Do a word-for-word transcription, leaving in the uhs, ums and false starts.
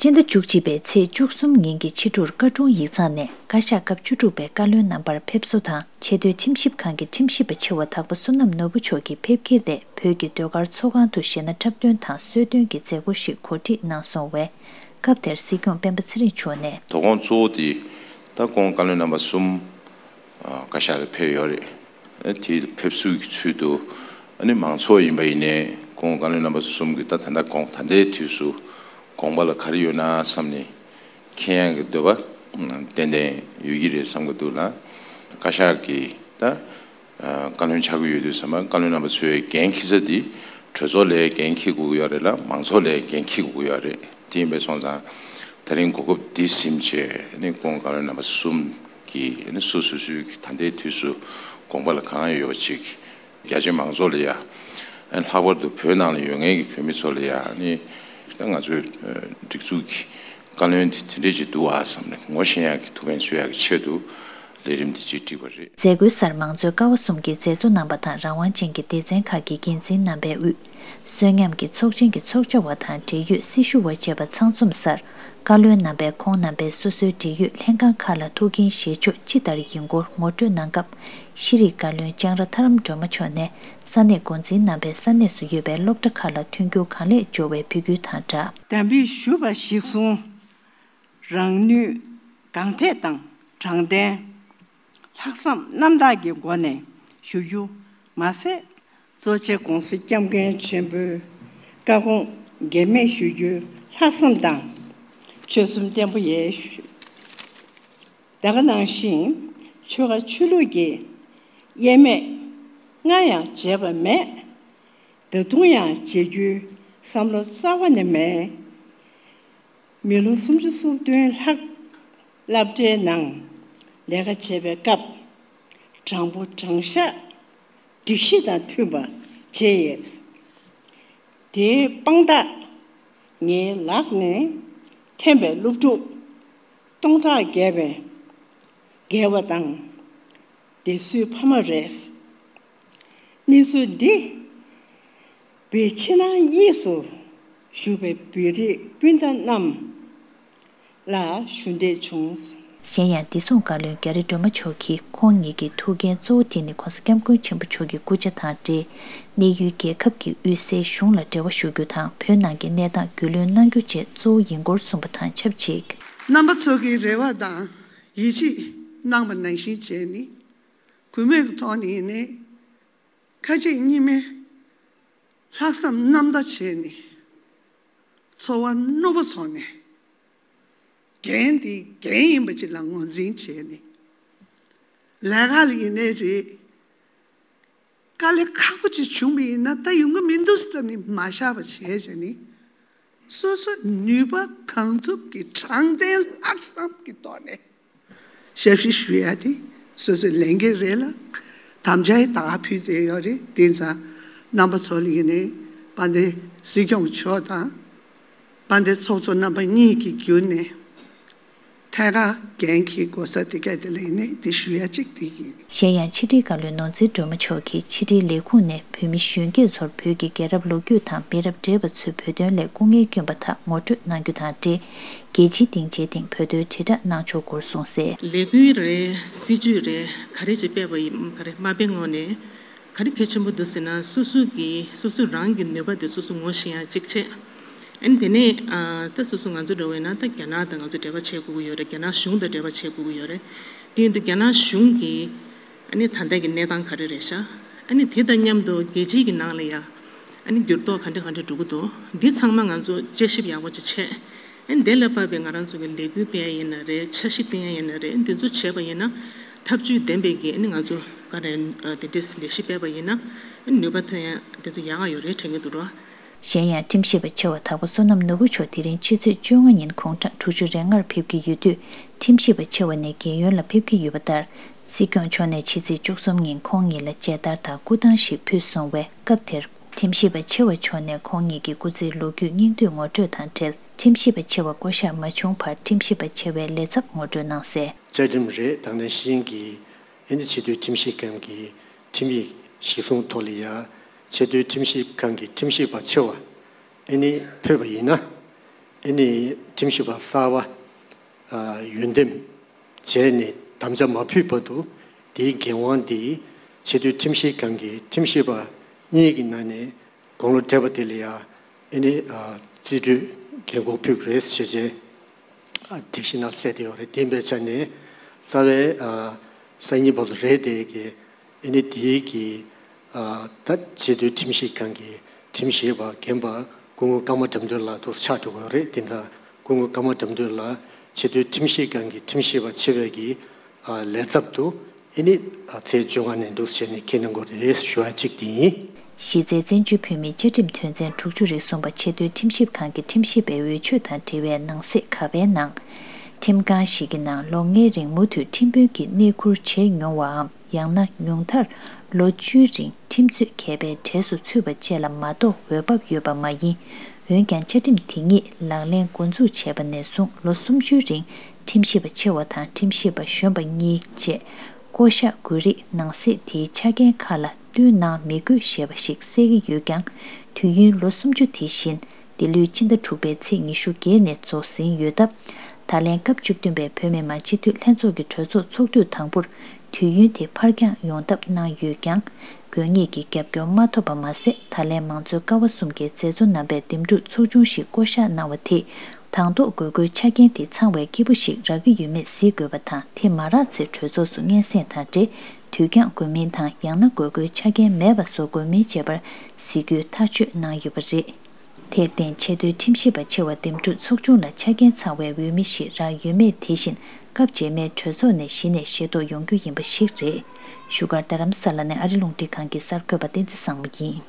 སྤྱི་ཟླ་བཅུ་གཅིག་པའི་ཚེས་བཅུ་གསུམ་ཉིན་གྱི་ཕྱི་དྲོར་བཀའ་དྲུང་ཡིག་ཚང་ནས་བཀའ་ཤག་སྐབས་བཅུ་དྲུག་པའི་བཀའ་བློན་རྣམ་པར་ཕེབས་བསུ་དང་ཆེས་མཐོའི་ཁྲིམས་ཞིབ་ཁང་གི་ཁྲིམས་ཞིབ་པ་ཆེ་བ་དྭགས་པོ་བསོད་ནམས་ནོར་བུ་མཆོག་གི་ཕེབས་འཁེལ་ཏེ་བོད་ཀྱི་ཟློས་གར་ཚོགས་ཁང་དུ་གཞས་སྣ་འཁྲབ་སྟོན་དང་གསོལ་སྟོན་གྱི་མཛད་སྒོ་ཞིག་གོ་སྒྲིག་གནང་སོང་བས། སྐབས་དེར་སྲིད་སྐྱོང་སྤེན་པ་ཚེ་རིང་མཆོག་ནས། དོ་དགོང་གཙོ་བོ་དེ་ད་ཁོང་བཀའ་བློན་རྣམ་པ་གསུམ་བཀའ་ཤག་ལ་ཕེབས་ཡོད་རེད། དེ་ཕེབས་བསུ་གི་ཚུལ་དུ་ཨ་ནི་མང་ཚོགས་ཡིན་པ་ཡིན་ནའི་ཁོང་བཀའ་བློན་རྣམ་པ་གསུམ་གྱི་ད་ད་ལྟ་དགོངས་ད་ལྟའི་དུས་སུ་དགོངས་པ་ལ་ག་རེ་ཡོད་ན་བསམ་ནས་མཁྱེན་ཡག་གི་འདོད་པ་ཏན་ཏན་ཡོད་ཀྱི་རེད་བསམ་གྱི་འདུག་ལ། བཀའ་ཤག་གི་ད་བཀའ་བློན་ཆགས་ཀྱི་ཡོད་དུས་ཙམ་པ་བཀའ་བློན་རྣམ་པ་ཚོས་འགན་འཁྱེར་ས་དེ་གྲོས་ཚོགས་ལ་འགན་འཁྱེར་དགོས་ཀྱི་ཡོད་རེད་ལ་མང་ཚོགས་ལ་འགན་འཁྱེར་དགོས་ཀྱི་ཡོད་རེད། དེ་ཡིན་པས་སོང་ཙང་ད་རིང་གོ་སྐབས་འདི་ཟིན་བྱས་ནི་ཁོང་བཀའ་བློན་རྣམ་པ་གསུམ་གྱིས་ནི་སོ་སོ་སོའི་ད་ལྟའི་དུས་སུ་དགོངས་པ་ལ་གང་ཡོད་པ་ཅིག་རྒྱ་ཆེ་མང་ཚོགས་ལ་ཡ་ལྷག་པར་དུ་བོད་ནང་ལ་ཡོད་མཁན་གྱི་བོད་མི་ཚོ་ལ་ཡ་ནི་ད་ང་ཚོའི་སྒྲིག་འཛུགས་ཀྱི་བཀའ་བློན་དེ་དེ་འདྲས་ཅིག་འདུག་ཨ་བསམ་ནས་ངོ་ཤེས་ཡག་གི་ཐུགས་ཕན་གསོས་ཡག་གི་ཆེད་དུ་ལས་རིམ་དེ་ཅིག་བསྒྲིགས་པ་རེད། མཛད་སྒོའི་སར་མང་གཙོའི་ཀ་བ་གསུམ་གྱི་མཛད་གཙོ་རྣམ་པ་དང་རང་དབང་ཅན་གྱི་སྡེ་ཚན་ཁག་གི་འགན་འཛིན་རྣམ་པས་དབུས་གསོན་ཉམས་ཀྱི་ཚོགས་ཆེན་གྱི་ཚོགས་བཅར་བ་དང་འབྲེལ་ཡོད་སྲི་ཞུ་བ་བཅས་པ་ཚང་འཛོམས་སར་བཀའ་བློན་རྣམ་པས་ཁོང་རྣམ་པའི་སོ་སོའི་འབྲེལ་ཡོད་ལྷན་ཁང་ཁག་ལ་ཐུགས་འགན་བཞེས་ཕྱོགས་ཅི་ལྟར་ཡིན་སྐོར་ངོ་སྤྲོད་གནང་སྐབས་ཤེས་རིག་བཀའ་བློན་ལྕང་ར་ཐར་རམ་སྒྲོལ་མ་མཆོག་ནས་ས་གནས་འགོ་འཛིན་རྣམ་པས་ས་གནས་སུ་ཡོད་པའི་སློབ་གྲྭ་ཁག་ལ་མཐུན་འགྱུར་གང་ལེགས་སྦྱོར་བའི་འབོད་སྐུལ་དང་སྦྲགས། དམ་པའི་ཞུ་བ་གཞིར་བཟུང་། རང་ནུས་གང་ཐད་དང་དྲང་བདེན། ལྷག་བསམ་རྣམ་དག་གི་སྒོ་ནས་ཞུ་རྒྱུ་མ་ཟད། གཙོ་ཆེ་༸གོང་ས་༸སྐྱབས་མགོན་ཆེན་པོའི་བཀའ་དགོངས་འགལ་མེད་ཞུ་རྒྱུའི་ལྷག་བསམ་དང་ཆོད་སེམས་བརྟན་པོ་ཡས་ཞུ། ད་ག་ནང་བཞིན་ཆོལ་ཁ་ཆོས་ལུགས་ཀྱི་དབྱེར་མེད་སྔར་ཡང་བྱས་པ་མེད། ད་དུང་ཡང་བྱེད་རྒྱུའི་བསམ་བློ་རྩ་བ་ནས་མེད། མི་ལོ་སུམ་ཅུ་སོ་བདུན་ལྷག་སློབ་གྲྭའི་ནང་ལས་ཀ་བྱེད་པའི་སྐབས་དྲང་པོ་དྲང་བཞག་སྒྲིག་གཞི་དང་མཐུན་པ་བྱས་ཡོད། དེའི་དཔང་རྟགས་ངའི་ལག་ནས་འཐེན་པའི་སློབ་ཕྲུག་སྟོང་ཕྲག་བརྒལ་བའི་རྒས་པ་དང་སྡེ་སྲིད་ཕ་མ་རེད། གནས་ཚུལ་འདི་བོད་ཕྱི་ནང་གཉིས་སུ་བཞུགས་པའི་བོད་རིགས་སྤུན་ཟླ་རྣམས་ལ་ཞུ་འདོད་བྱུང་། གཞན་ཡང་བདེ་སྲུང་བཀའ་བློན་རྒྱ་རི་སྒྲོལ་མ་མཆོག་གིས་ཁོང་ཉིད་ཀྱི་ཐུགས་འགན་གཙོ་བོ་དེ་ནི་༸གོང་ས་༸སྐྱབས་མགོན་ཆེན་པོ་མཆོག་གི་སྐུ་ཕྱྭ་དང་འབྲེལ་གནས་ཡུལ་རྒྱལ་ཁབ་ཀྱི་དབུས་སའི་གཞུང་ལ་འབྲེལ་བ་ཞུ་རྒྱུ་དང་བོད་ནང་གི་གནས་སྟངས་རྒྱུས་ལོན་གནང་རྒྱུ་བཅས་གཙོ་བོ་ཡིན་སྐོར་གསུངས་པ་དང་ཆབས་ཅིག་རྣམ་པ་ཚོ་གི་རེ་བ་དང་ཡིད་ཆེས་གནང་བ་ནང་བཞིན་བྱས་ནས་གུས་མོས་ཀྱི་ཐོག་ནས་ཡིན་ནའི་ཁ་ལྕེ་གཉིས་མའི་ལྷག་བསམ་རྣམ་དག་བྱས་ནས་འཚོ་བ་རྣོ་པོ་ཚོགས་ནས་འགན་དེ་འགན་ཡིན་པ་ཅིག་ལ་ངོས་འཛིན་བྱས་ནས་ལས་ཀ་ལ་ཡིན་ནའི་རེད། དཀའ་ལས་ཁག་པོ་ཅིག་བྱུང་བ་ཡིན་ན་ད་ཡོང་གི་མི་འདུག་བསམ་ནས་མ་བཞག་པ་བྱས་བྱས་ནས་སོ་སོའི་ནུས་པ་གང་ཐུབ་ཀྱིས་དྲང་བདེན་ལྷག་བསམ་གྱི་ཐོག་ནས་ཞབས་ཕྱི་ཞུ་ཡ་དེ་སོ་སོའི་ལས་འགན་རེད་ལ་དམ་བཅའ་ཡི་ད་ག་ཕུལ་བསྡད་ཡོད་རེད། དེ་ཙང་རྣམ་པ་ཚོ་ལ་ཡིན་ནའི་དཔལ་ལྡན་སྲིད་སྐྱོང་མཆོག་དང་། དཔལ་ལྡན་ཚོགས་གཙོ་རྣམ་པ་གཉིས་ཀྱིས་བརྒྱུད་ནས་ཐད་ཀར་འགན་འཁྱེར་དགོས་ས་དེ་ག་དེ་ལ་ཡིན་ནའི་དེ་ཞུ་ཡ་གཅིག་དེ་ཡིན། གཞན་ཡང་ཕྱི་དྲིལ་བཀའ་བློན་ནོར་འཛིན་སྒྲོལ་མ་མཆོག་གིས་ཕྱི་དྲིལ་ལས་ཁུངས་ནས་བོད་མི་གཞོན་སྐྱེས་ཚོར་བོད་ཀྱི་རྒྱལ་རབས་ལོ་རྒྱུས་དང་མི་རབས་བགྲེས་པ་ཚོས་བོད་དོན་སླད་སྐུ་ངལ་བསྐྱོན་པ་དག་ངོ་སྤྲོད་གནང་རྒྱུ་དང་འབྲེལ་རྒྱལ་སྤྱིའི་སྡིངས་ཆའི་སྟེང་བོད་དོན་དྲིལ་བསྒྲགས་གནང་ཕྱོགས་སྐོར་གསུངས་གསལ། ལས་འགུལ་རེད། སྲིད་ཇུས་རེད། ག་རེ་ཅིག་སྤེལ་བ་ཡིན་ག་རེ་མ་སྤེལ་སྔོན་ནས་ག་རེ་གལ་ཆེན་པོ་འདུག་ཟེར་ན་སོ་སོ་གི་སོ་སོ་རང་གི་ནུས་པ་དེ་སོ་སོ་ངོ་ཤེས་ཡ་གཅིག་བྱས། ཨ་ནི་དེ་ནས་ཨ་ད་སོ་སོ་ང་ཚོ་འདྲ་བོ་ཡིན་ན་ད་རྒྱ་ནག་དང་ང་ཚོ་འབྲེལ་བ་བྱེད་དགོས་ཀྱི་ཡོད་རེད། རྒྱ་ནག་གཞུང་དང་འབྲེལ་བ་བྱེད་དགོས་ཀྱི་ཡོད་རེད། དེ་ཡིན་དུས་རྒྱ་ནག་གཞུང་གིས་ཨ་ནི་ད་ལྟ་གི་གནས་སྟངས་ག་རེ་རེད་ཤག་ཨ་ནི་དེ་དང་མཉམ་དུ་རྒྱལ་སྤྱིའི་གི་ནང་ལ་ཡ་ཨ་ནི་འགྱུར་ལྡོག་ག་འདྲ་ག་འདྲ་འགྲོ་གི་འདུག་འདི་ཚང་མ་ང་ཚོ་དཔྱད་ཞིབ་ཡག་པོ་ཅིག་བྱས། ཨ་ནི་དེ་ལ་དཔག་པའི་ང་རང་ཚོ་གི་ལས་འགུལ་སྤེལ་ཡ་ཡིན་ན་རེད། འཆར་གཞི་བཏིང་ཡ་ཡིན་ན་རེད། འདི་ཚོ་བྱས་པ་ཡིན་ན་ཐབས་ཇུས་ལྡན་པའི་གི་ཨ་ནི་ང་ཚོ་ག་རེ་དེ་འདྲས་ལས་གཞི་སྤེལ་བ་ཡིན་ན་ཨ་ནི་ནུས་པ་ཐོན་ཡ་དེ་ཚོ་ཡག་ག་ཡོད་རེད་དྲན་གྱི་འདུག་རོ། གཞན་ཡང་ཁྲིམས་ཞིབ་པ་ཆེ་བ་དྭགས་པོ་བསོད་ནམས་ནོར་བུ་མཆོག་དེ་རིང་ཕྱི་ཚེས་བཅོ་ལྔ་ཉིན་དགུང་གྲངས་དྲུག་ཅུ་རེ་ལྔར་ཕེབས་ཀྱི་ཡོད་དུས་ཁྲིམས་ཞིབ་པ་ཆེ་བ་ནས་རྒན་ཡོལ་ལ་ཕེབས་ཀྱི་ཡོད་པ་ལྟར་སྲིད་སྐྱོང་མཆོག་ནས་ཕྱི་ཚེས་བཅུ་གསུམ་ཉིན་ཁོང་ཉིད་ལ་མཇལ་དར་དང་སྐུ་ཐང་ཞིག་ཕུལ་སོང་བས་སྐབས་དེར་ཁྲིམས་ཞིབ་པ་ཆེ་བ་མཆོག་ནས་ཁོང་ཉིད་ཀྱི་སྐུ་ཚེའི་ལོ་རྒྱུས་སྙིང་བསྡུས་ངོ་སྤྲོད་དང་འབྲེལ་ཁྲིམས་ཞིབ་པ་ཆེ་བ་བསྐོ་གཞག་མ་བྱུང་བར་ཁྲིམས་ཞིབ་པ་ཆེ་བའི་ལས་ཚབ་ངོ་སྤྲོད་གནང་གསལ། བཅའ་ཁྲིམས་རེད། དེ་ནང་བཞིན་གྱི་ཨ་ནི་ཆེས་མཐོའི་ཁྲིམས་ཞིབ་ཁང་གི་ཁྲིམས་ཡིག་གཞིར་བཟུང་ཐོག་ལ་ཡ་ཆེས་མཐོའི་ཁྲིམས་ཞིབ་ཁང་གི་ཁྲིམས་ཞིབ་པ་ཆེ་བ་ཨ་ནི་ཕེབས་པ་ཡིན་ན་ ཨེ་ནི་ཁྲིམས་ཞིབ་པ་གསར་པ་ཨ་འོས་འདེམས་བྱས་ནས་དམ་བཅའ་མ་ཕུལ་བར་དུ་དེའི་འགན་དབང་དེ་ཆེས་མཐོའི་ཁྲིམས་ཞིབ་ཁང་གི་ཁྲིམས་ཞིབ་པ་གཉིས་ཀྱི་ནང་ནས་དགུང་ལོ་བགྲེས་པ་དེ་ལ་ཡང་ཨེ་ནི་ཨ་རྩིས་སྤྲོད་འགན་འཁུར་ཕུལ་དགོས་རེད་ཞེས་བྱས། སྒྲིག་གཞི་ནང་གསལ་བསྡད་ཡོད་རེད། དེ་ཡིན་པའི་ཆ་ནས་རྩ་བའི་ཨ་སང་ཉིན་བར་དུ་རེད་དེ་གི་ཨེ་ནི་དེའི་གི་ཨ་ད་ཆེས་མཐོའི་ཁྲིམས་ཞིབ་ཁང་གི་ཁྲིམས་ཞིབ་པ་རྒན་པ་སྐུ་ངོ་ཀརྨ་དགྲ་འདུལ་ལགས་འདུག་ཆགས་འགྲོ་གི་ཡོད་རེད། དེ་འདྲ་སྐུ་ངོ་ཀརྨ་དགྲ་འདུལ་ལགས་ཆེས་མཐོའི་ཁྲིམས་ཞིབ་ཁང་གི་ཁྲིམས་ཞིབ་པ་ཆེ་བའི་གི་ཨ་ལས་ཚབ་ཏུ་ཨེ་ནི་ཨ་ཚེས་བཅོ་ལྔ་ནས་འདུག་བྱས་ནས་འཁྱེར་གནང་དགོས་རེད་ཞུ་བ་གཅིག་དེ་ཡིན། གཞི་རྩའི་བཙན་བྱོལ་བོད་མིའི་བཅའ་ཁྲིམས་དོན་ཚན་དྲུག་ཅུ་རེ་གསུམ་པ་ཆེས་མཐོའི་ཁྲིམས་ཞིབ་ཁང་གི་ཁྲིམས་ཞིབ་པའི་འོས་ཆོས་དང་འབྲེལ་བའི་ནང་གསེས་ག་པའི་ནང་། ཁྲིམས་ཁང་ཞིག་གི་ནང་ལོ་ལྔའི་རིང་མུ་མཐུད་ཁྲིམས་དཔོན་གྱི་གནས་ཁུར་བྱས་མྱོང་བའམ། ཡང་ན་ཉུང་མཐར་ལོ་བཅུའི་རིང་ཁྲིམས་རྩོད་མཁས་པའི་གྲས་སུ་ཚུད་པ་བཅས་ལ་མ་གཏོགས་འོས་བབ་ཡོད་པ་མ་ཡིན། འོན་ཀྱང་བཅའ་ཁྲིམས་དེ་ཉིད་ལག་ལེན་འགོ་འཛུགས་བྱས་པ་ནས་བཟུང་ལོ་སུམ་ཅུའི་རིང་ཁྲིམས་ཞིབ་པ་ཆེ་བ་དང་ཁྲིམས་ཞིབ་པ་གཞོན་པ་གཉིས་བཅས་བསྐོ་གཞག་དགོས་རིགས་ནང་གསེས་དེའི་ཆ་རྐྱེན་ཁག་ལ་བསྟུན་གནང་མི་དགོས་ཞེས་པ་ཞིག་གསལ་གྱི་ཡོད་ཀྱང་། དུས་ཡུན་ལོ་སུམ་ཅུ་དེ་བཞིན་འདི་ལོའི་ཕྱི་ཟླ་དྲུག་པའི་ཚེས་ཉི་ཤུ་བརྒྱད་ནས་རྫོགས་ཟིན་ཡོད་སྟབས། ད་ལན་སྐབས་བཅུ་བདུན་པའི་བོད་མི་མང་སྤྱི་འཐུས་ལྷན་ཚོགས་ཀྱི་གྲོས་ཚོགས་ཚོགས་དུས་དང་པོར་དུས་ཡུན་དེ་ཕར་འགྱངས་ཡོང་ཐབས་གནང་ཡོད་ཀྱང་། དགོས་ངེས་ཀྱི་རྒྱབ་སྐྱོར་མ་ཐོབ་པ་མ་ཟད། ད་ལན་མང་གཙོའི་ཀ་བ་གསུམ་གྱི་མཛད་གཙོ་རྣམ་པས་འདེམས་སྒྲུག་ཚོགས་ཆུང་ཞིག་བསྐོ་གཞག་གནང་བ་དེས། དང་ཐོག་དགོས་མཁོའི་ཆ་རྐྱེན་དེ་ཚང་བའི་སྐྱིད་པོ་ཞིག་རག་གི་ཡོད་མེད་གཟིགས་དགོས་པ་དང་། དེ་མ་རག་ཚེ་གྲོས་ཚོགས་སུ་སྙན་སེང་དང་འབྲེལ་དུས་འགྱངས་དགོས་མིན་དང་། ཡང་ན་དགོས་མཁོའི་ཆ་རྐྱེན་མེད་པ་བཟོ་དགོས་མིན་བཅས་པར་གཟིགས་རྒྱུའི་ཐག་གཅོད་གནང་ཡོད་པ་རེད། དེར་བརྟེན་ཆེས་མཐོའི་ཁྲིམས་ཞིབ་པ་ཆེ་བ་འདེམས་སྒྲུག་ཚོགས་ཆུང་ལ་ཆ་རྐྱེན་ཚང་བའི་འོས་མི་ཞིག་རག་ཡོད་མེད་དེ་བཞིན་སྐབས་རྗེས་མའི་གྲོས་ཚོགས་ནས་གཞི་ནས་ཤེས་རྟོགས་ཡོང་རྒྱུ་ཡིན་པ་ཞིག་རེད། བཞུགས་སྒར་རྡ་རམ་ས་ལ་ནས་ཨ་རི་རླུང་འཕྲིན་ཁང་གི་གསར་འགོད་པ་བསྟན་འཛིན་བཟང་མོ་ཡིན།